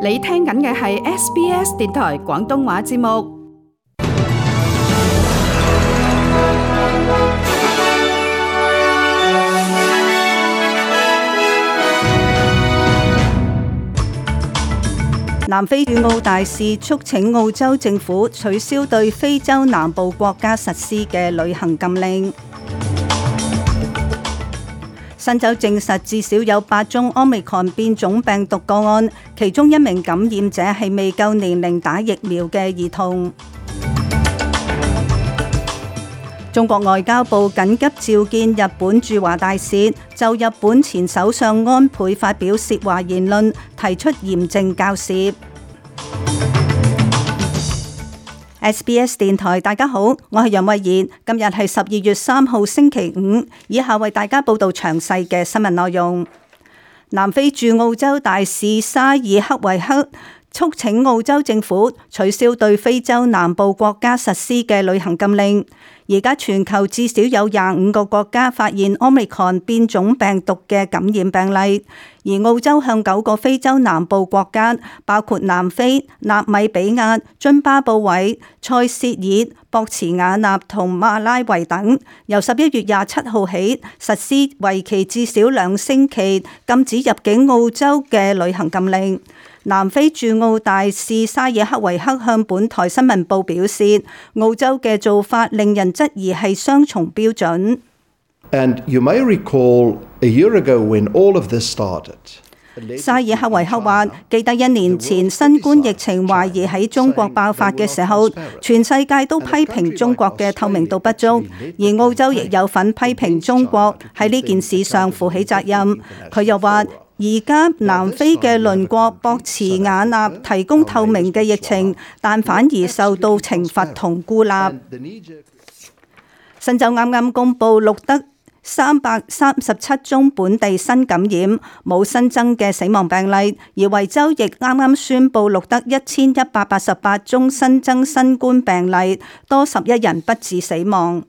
你聽緊嘅係 SBS 電台廣東話節目。南非駐澳大使促請澳洲政府取消對非洲南部國家實施嘅旅行禁令。新州證實至少有8宗 Omicron 變種病毒個案，其中1名感染者係未夠年齡打疫苗嘅兒童。中國外交部緊急召見日本駐華大使，就日本前首相安倍發表涉華言論，提出嚴正交涉。SBS 電台，大家好，我係楊慧妍。今日係12月3號星期五，以下為大家報道詳細嘅新聞內容。南非駐澳洲大使沙爾克維克促請澳洲政府取消對非洲南部國家實施嘅旅行禁令。而家全球至少有25個國家發現 Omicron 變種病毒嘅感染病例，而澳洲向9個非洲南部國家，包括南非、納米比亞、津巴布韋、塞舌爾、博茨瓦納同馬拉維等，由11月27號起實施為期至少2星期禁止入境澳洲嘅旅行禁令。南非駐澳大使沙爾克維克向本台新聞報表示，澳洲嘅做法令人質疑係雙重標準。And you may recall a year ago when all of this started. 沙爾克維克話：記得1年前新冠疫情懷疑喺中國爆發嘅時候，全世界都批評中國嘅透明度不足，而澳洲亦有份批評中國喺呢件事上負起責任。佢又話：而家南非嘅鄰國博茨瓦納提供透明嘅疫情，但反而受到懲罰同孤立。新州啱啱公布錄得337宗本地新感染，冇新增嘅死亡病例，而維州亦啱啱宣布錄得1188宗新增新冠病例，多11人不治死亡。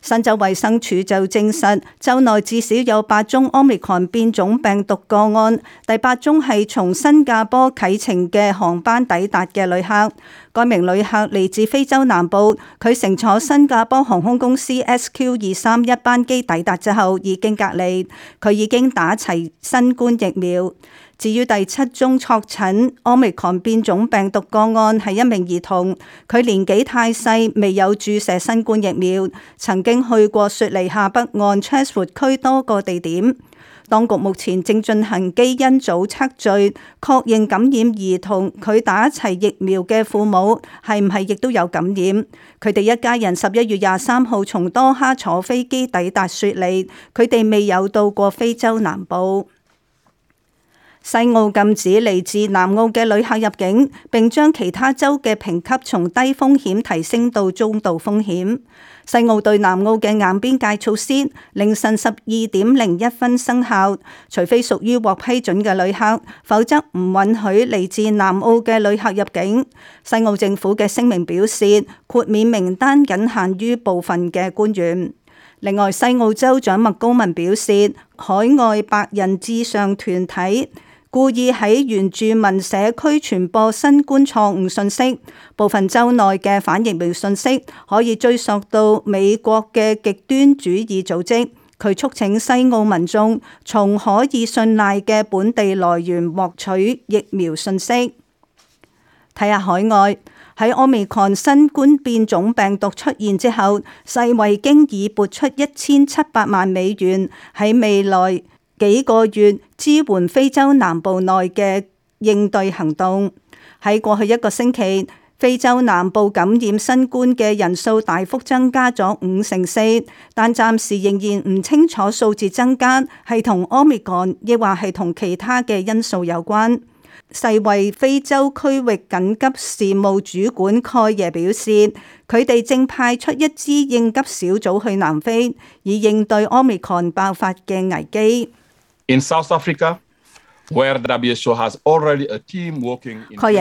新州衛生署就證實，州內至少有8宗 Omicron 變種病毒個案，第8宗係從新加坡啟程嘅航班抵達嘅旅客。該名旅客嚟自非洲南部，佢乘坐新加坡航空公司 SQ231班機抵達之後已經隔離，佢已經打齊新冠疫苗。至於第7宗確診 Omicron 變種病毒個案係1名兒童，佢年紀太細，未有注射新冠疫苗，曾經去過雪梨下北岸 Chatswood 區多個地點。當局目前正進行基因組測序，確認感染兒童佢打齊疫苗嘅父母係唔係亦都有感染。佢哋一家人11月23號從多哈坐飛機抵達雪梨，佢哋未有到過非洲南部。西澳禁止嚟自南澳嘅旅客入境，並將其他州嘅評級從低風險提升到中度風險。西澳對南澳嘅硬邊界措施凌晨12:01分生效，除非屬於獲批准嘅旅客，否則唔允許嚟自南澳嘅旅客入境。西澳政府嘅聲明表示，豁免名單僅限於部分嘅官員。另外，西澳州長麥高文表示，海外白人至上團體故意喺原住民社區傳播新冠錯誤信息，部分州內嘅反疫苗信息可以追溯到美國嘅極端主義組織。佢促請西澳民眾從可以信賴嘅本地來源獲取疫苗信息。睇下海外，喺 Omicron 新冠變種病毒出現之後，世衛經已撥出1700萬美元喺未來幾個月支援非洲南部內嘅應對行動。喺過去1個星期，非洲南部感染新冠嘅人數大幅增加咗54%，但暫時仍然唔清楚數字增加係同 Omicron 亦或係同其他嘅因素有關。世衛非洲區域緊急事務主管蓋耶表示，佢哋正派出一支應急小組去南非，以應對 Omicron 爆發嘅危機。In South Africa, 蓋日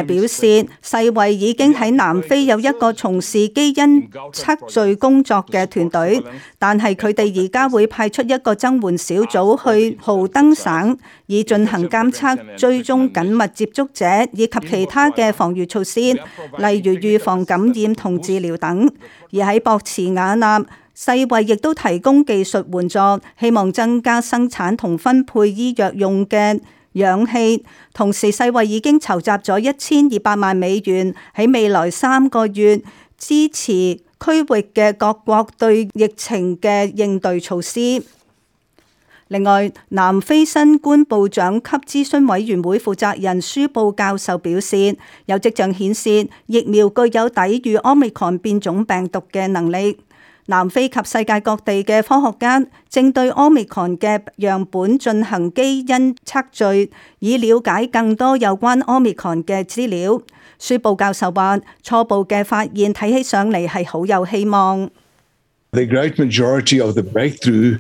表示，世衛已經喺南非有一個從事基因測序工作嘅團隊，但係佢哋而家會派出一個增援小組去豪登省，以進行監測、追蹤緊密接觸者以及其他嘅防禦措施，例如預防感染同治療等。而喺博茨瓦納，世衛亦都提供技術援助，希望增加生產同分配醫藥用嘅氧氣。同時，世衛已經籌集咗1200萬美元，喺未來3個月支持區域嘅各國對疫情嘅應對措施。另外，南非新冠部長級諮詢委員會負責人舒布教授表示，有跡象顯示疫苗具有抵禦 Omicron 變種病毒嘅能力。南非及世界各地嘅科學家正對 Omicron 嘅樣本進行基因測序，以了解更多有關 Omicron 嘅資料。舒布教授話：初步嘅發現睇起上嚟係好有希望。The great majority of the breakthrough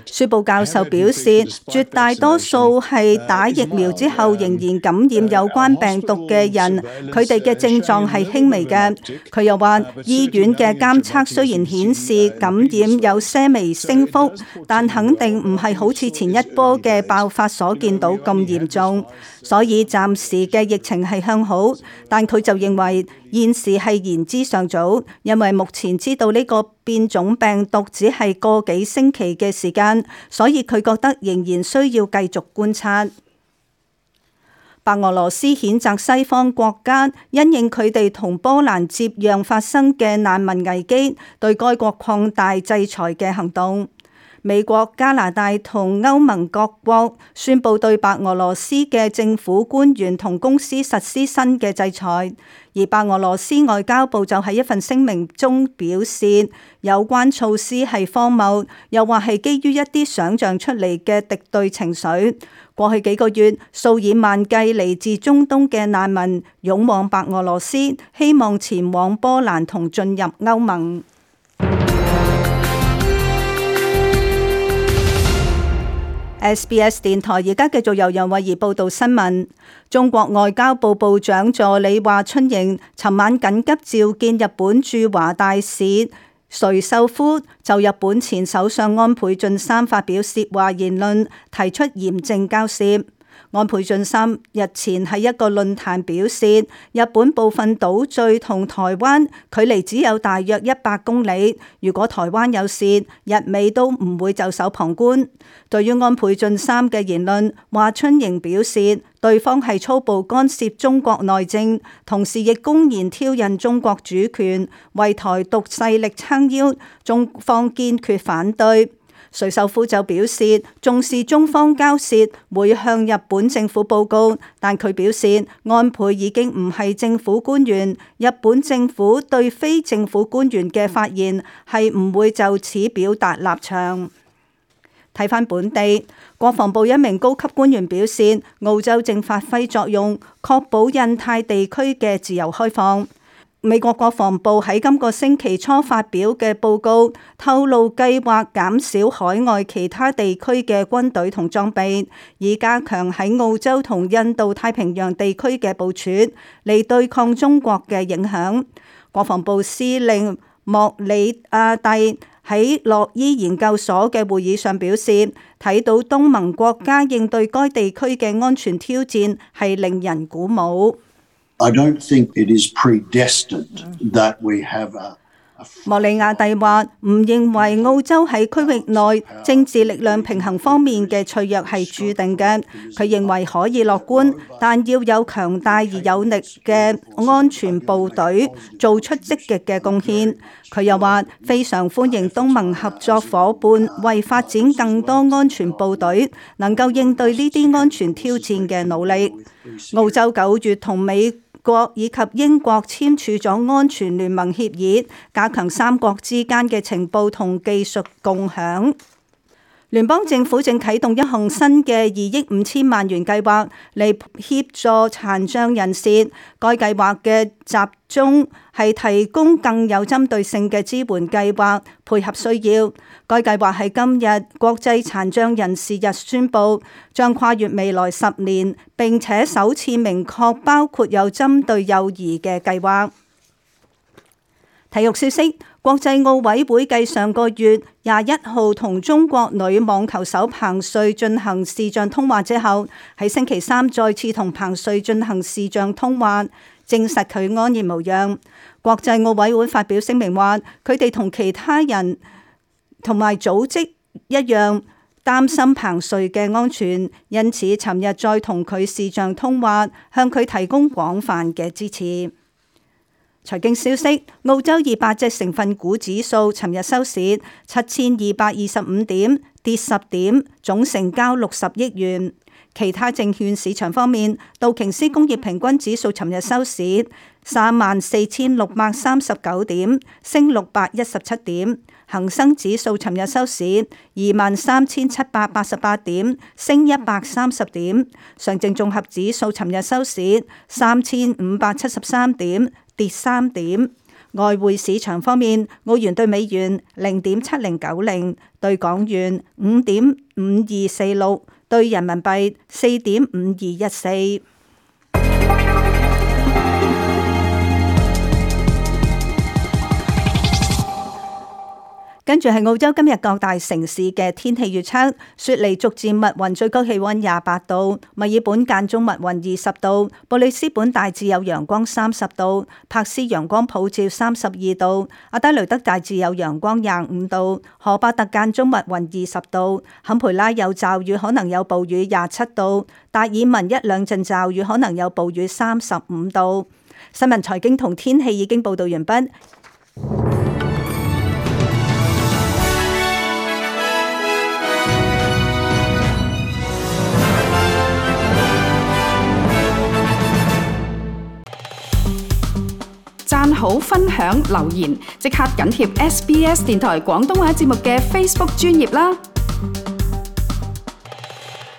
舒布教授表示，絕大多數係打疫苗之後仍然感染有關病毒嘅人，佢哋嘅症狀係輕微嘅。佢又話，醫院嘅監測雖然顯示感染有些微升幅，但肯定唔係好似前一波嘅爆發所見到咁嚴重，所以暫時嘅疫情係向好。但佢就認為現時係言之尚早，因為目前知道呢個變種病毒只係個幾星期嘅時間，所以佢覺得仍然需要繼續觀察。白俄羅斯譴責西方國家因應佢哋同波蘭接壤發生嘅難民危機，對該國擴大制裁嘅行動。美國、加拿大同歐盟各國宣布對白俄羅斯嘅政府官員同公司實施新嘅制裁，而白俄羅斯外交部就喺一份聲明中表示，有關措施係荒謬，又話係基於一啲想像出嚟嘅敵對情緒。過去幾個月，數以萬計嚟自中東嘅難民湧往白俄羅斯，希望前往波蘭同進入歐盟。SBS 電台而家繼續由楊慧儀報道新聞。中國外交部部長助理華春瑩尋晚緊急召見日本駐華大使垂秀夫，就日本前首相安倍晉三發表涉華言論提出嚴正交涉。安倍晉三日前喺一個論壇表示，日本部分島嶼同台灣距離只有大約100公里，如果台灣有事，日美都唔會袖手旁觀。對於安倍晉三嘅言論，華春瑩表示，對方係粗暴干涉中國內政，同時亦公然挑釁中國主權，為台獨勢力撐腰，中方堅決反對。垂秀夫就表示，重視中方交涉，會向日本政府報告，但佢表示安倍已經唔係政府官員，日本政府對非政府官員嘅發言係唔會就此表達立場。睇返本地，國防部一名高級官員表示，澳洲正發揮作用，確保印太地區嘅自由開放。美國國防部喺今個星期初發表嘅報告透露，計劃減少海外其他地區嘅軍隊同裝備，以加強喺澳洲同印度太平洋地區嘅部署，嚟對抗中國嘅影響。國防部司令莫里亞蒂喺洛伊研究所嘅會議上表示，睇到東盟國家應對該地區嘅安全挑戰係令人鼓舞。I don't think it is predestined that we have a 莫里亞蒂話唔認為澳洲喺區域內政治力量平衡方面嘅脆弱係注定嘅，佢認為可以樂觀，但要有強大而有力嘅安全部隊做出積極嘅貢獻。佢又話非常歡迎東盟合作夥伴為發展更多安全部隊能夠應對呢啲安全挑戰嘅努力。澳洲9月同美國以及英國簽署咗安全聯盟協議，加強三國之間嘅情報同技術共享。聯邦政府正啟動一項新嘅2億5千萬元計劃嚟協助殘障人士。該計劃嘅集中係提供更有針對性嘅支援計劃，配合需要。該計劃喺今日國際殘障人士日宣布，將跨越未來10年，並且首次明確包括有針對幼兒嘅計劃。體育消息：國際奧委會繼上個月21號同中國女網球手彭帥進行視像通話之後，喺星期三再次同彭帥進行視像通話，證實佢安然無恙。國際奧委會發表聲明話，佢哋同其他人同埋組織一樣擔心彭帥嘅安全，因此尋日再同佢視像通話，向佢提供廣泛嘅支持。財經消息：澳洲200隻成分股指數尋日收市7225點，跌10點，總成交60億元。其他證券市場方面，道瓊斯工業平均指數尋日收市34639點，升617點；恒生指數尋日收市23788點，升130點；上證綜合指數尋日收市3573點，跌3點。外匯市場方面，澳元對美元0.7090，對港元5.5246，對人民幣4.5214。跟住係澳洲今日各大城市嘅天氣預測：雪梨逐漸密雲，最高氣溫28度；墨爾本間中密雲20度；布里斯本大致有陽光30度；柏斯陽光普照32度；阿德雷德大致有陽光25度；荷巴特間中密雲20度；坎培拉有驟雨，可能有暴雨27度；達爾文一兩陣驟雨，可能有暴雨35度。新聞財經同天氣已經報道完畢。讚好、分享、留言，即刻緊貼SBS 電台廣東話節目嘅 Facebook 專頁啦！